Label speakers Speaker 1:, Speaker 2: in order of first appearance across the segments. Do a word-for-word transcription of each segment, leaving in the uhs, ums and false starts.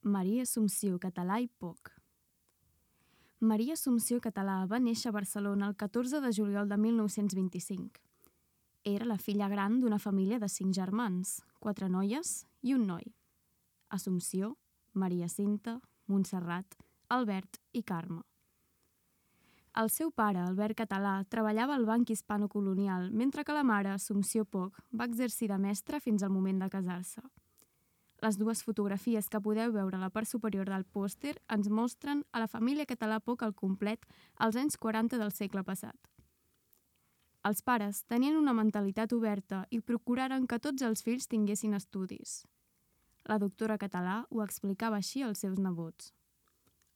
Speaker 1: Maria Assumpció Català i Poch. Maria Assumpció Català va néixer a Barcelona el catorze de juliol de mil nou-cents vint-i-cinc. Era la filla gran d'una família de cinc germans, quatre noies i un noi. Assumpció, Maria Cinta, Montserrat, Albert i Carme. El seu pare, Albert Català, treballava al Banc Hispano-Colonial, mentre que la mare, Assumpció Poch, va exercir de mestra fins al moment de casar-se. Les dues fotografies que podeu veure a la part superior del pòster ens mostren a la família Català Poch al complet als anys quaranta del segle passat. Els pares tenien una mentalitat oberta i procuraren que tots els fills tinguessin estudis. La doctora Català ho explicava així als seus nebots.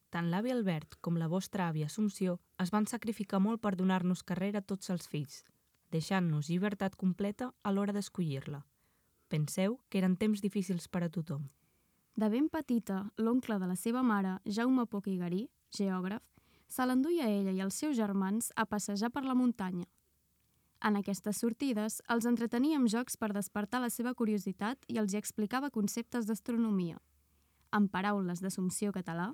Speaker 2: Tant l'avi Albert com la vostra àvia Assumpció es van sacrificar molt per donar-nos carrera a tots els fills, deixant-nos llibertat completa a l'hora d'escollir-la. Penseu que eren temps difícils per a tothom.
Speaker 1: De ben petita, l'oncle de la seva mare, Jaume Poch i Garí, geògraf, se l'enduia a ella i els seus germans a passejar per la muntanya. En aquestes sortides, els entretenia amb jocs per despertar la seva curiositat i els hi explicava conceptes d'astronomia. En paraules d'Assumpció Català,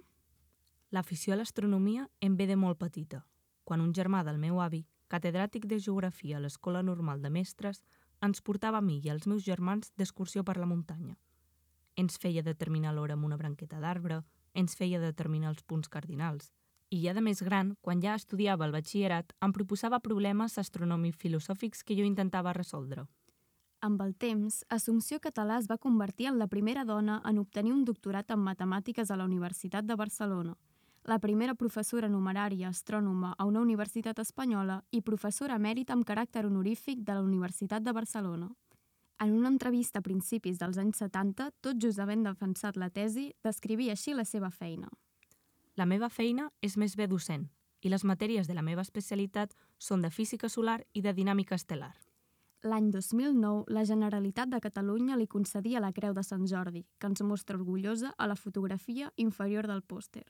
Speaker 2: l'afició a l'astronomia em ve de molt petita, quan un germà del meu avi, catedràtic de geografia a l'Escola Normal de Mestres, ens portava a mi i als meus germans d'excursió per la muntanya. Ens feia determinar l'hora amb una branqueta d'arbre, ens feia determinar els punts cardinals. I ja de més gran, quan ja estudiava el batxillerat, em proposava problemes astronòmics filosòfics que jo intentava resoldre.
Speaker 1: Amb el temps, Assumpció Català es va convertir en la primera dona en obtenir un doctorat en matemàtiques a la Universitat de Barcelona, la primera professora numerària astrònoma a una universitat espanyola i professora emèrita amb caràcter honorífic de la Universitat de Barcelona. En una entrevista a principis dels anys setanta, tot just havent defensat la tesi, descrivia així la seva feina.
Speaker 2: La meva feina és més bé docent i les matèries de la meva especialitat són de física solar i de dinàmica estel·lar.
Speaker 1: L'any dos mil nou, la Generalitat de Catalunya li concedia la Creu de Sant Jordi, que ens mostra orgullosa a la fotografia inferior del pòster.